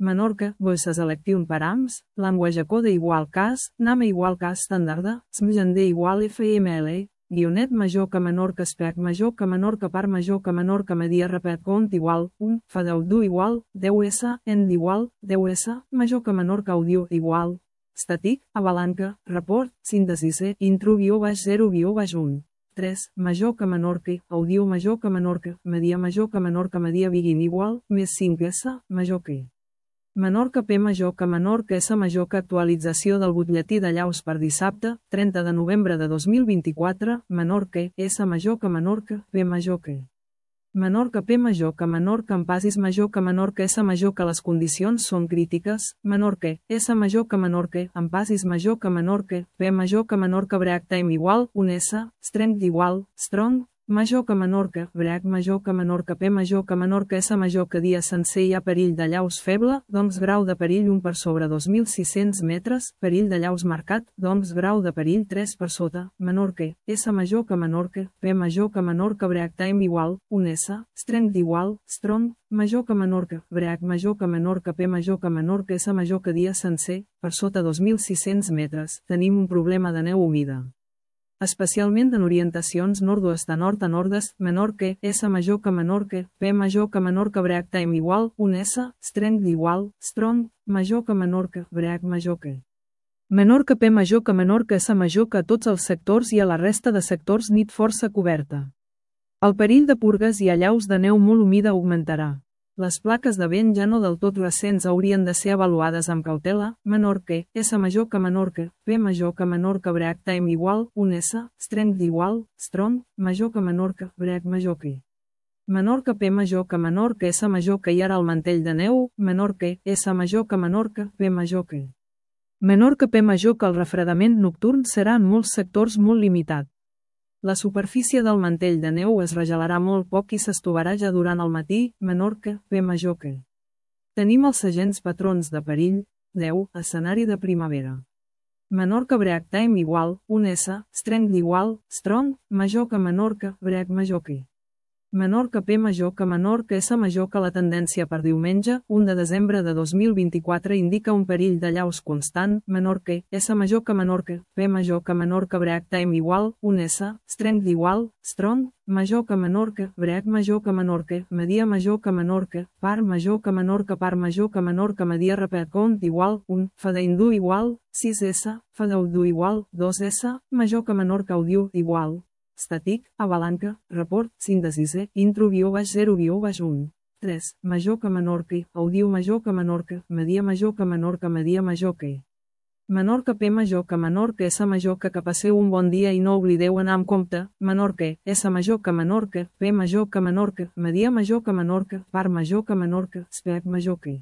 Menorca, voices electiu params, language code igual cas, name igual cas standarda, smgende igual fml, guionet major que Menorca spec major que Menorca par major que Menorca media repet cont igual, 1, fadeu du igual, 10s, end igual, 10s, major que Menorca audio igual, estàtic, avalanca, report, síntesi intro -0 -1. 3. Major que Menorca, audio major que Menorca, media major que Menorca media begin igual, més 5s, major que. Menorca P major que Menorca S major que actualització del butlletí de Llaus per dissabte, 30 de novembre de 2024, Menorca S major que Menorca, P major que. Menorca P major que Menorca en pasis major que Menorca S major que les condicions són crítiques, Menorca S major que Menorca en pasis major que Menorca, P major que Menorca break time igual, 1S, strength igual, strong, major que Menorca, break major que Menorca P major que Menorca S major que dia sencer hi ha perill de llaus feble, doncs grau de perill 1 per sobre 2.600 metres, perill de llaus marcat, doncs grau de perill 3 per sota, Menorca, S major que Menorca, P major que Menorca break time igual, 1S, strength igual, strong, major que Menorca, break major que Menorca P major que Menorca S major que dia sencer, per sota 2.600 metres, tenim un problema de neu humida. Especialment en orientacions nord-oest a nord-est, Menorca, S major que Menorca, P major que Menorca break time igual, 1S, strength igual, strong, major que Menorca, break major que. Menorca P major que Menorca S major que a tots els sectors i a la resta de sectors nit força coberta. El perill de purgues i allaus de neu molt humida augmentarà. Les plaques de vent ja no del tot recents haurien de ser avaluades amb cautela, Menorca, S major que Menorca, P major que Menorca break time igual, 1S, strength igual, strong, major que Menorca, break major que. Menorca P major que Menorca S major que hi ara el mantell de neu, Menorca, S major que Menorca, P major que. Menorca P major que el refredament nocturn serà en molts sectors molt limitat. La superfície del mantell de neu es regelarà molt poc i s'estovarà ja durant el matí, Menorca, P major que. Tenim els segents patrons de perill, 10, escenari de primavera. Menorca break time igual, 1S, strength igual, strong, major que Menorca, break major que. Menorca P major que Menorca S major que la tendència per diumenge, 1 de desembre de 2024 indica un perill de llaus constant, Menorca, S major que Menorca, P major que Menorca break time igual, 1S, strength igual, strong, major que Menorca, break major que Menorca, media major que Menorca, par major que Menorca media repet cont igual, 1, fadeindu igual, 6S, fadeudu igual, 2S, major que Menorca audio igual. Estàtic, avalanca, report, síntesi intro -0 -1. 3. Major que Menorca, audio major que Menorca, media major que Menorca media major que. Menorca P major que Menorca S major que passeu un bon dia i no oblideu anar amb compte, Menorca, S major que Menorca, P major que Menorca, media major que Menorca, par major que Menorca, spec major que.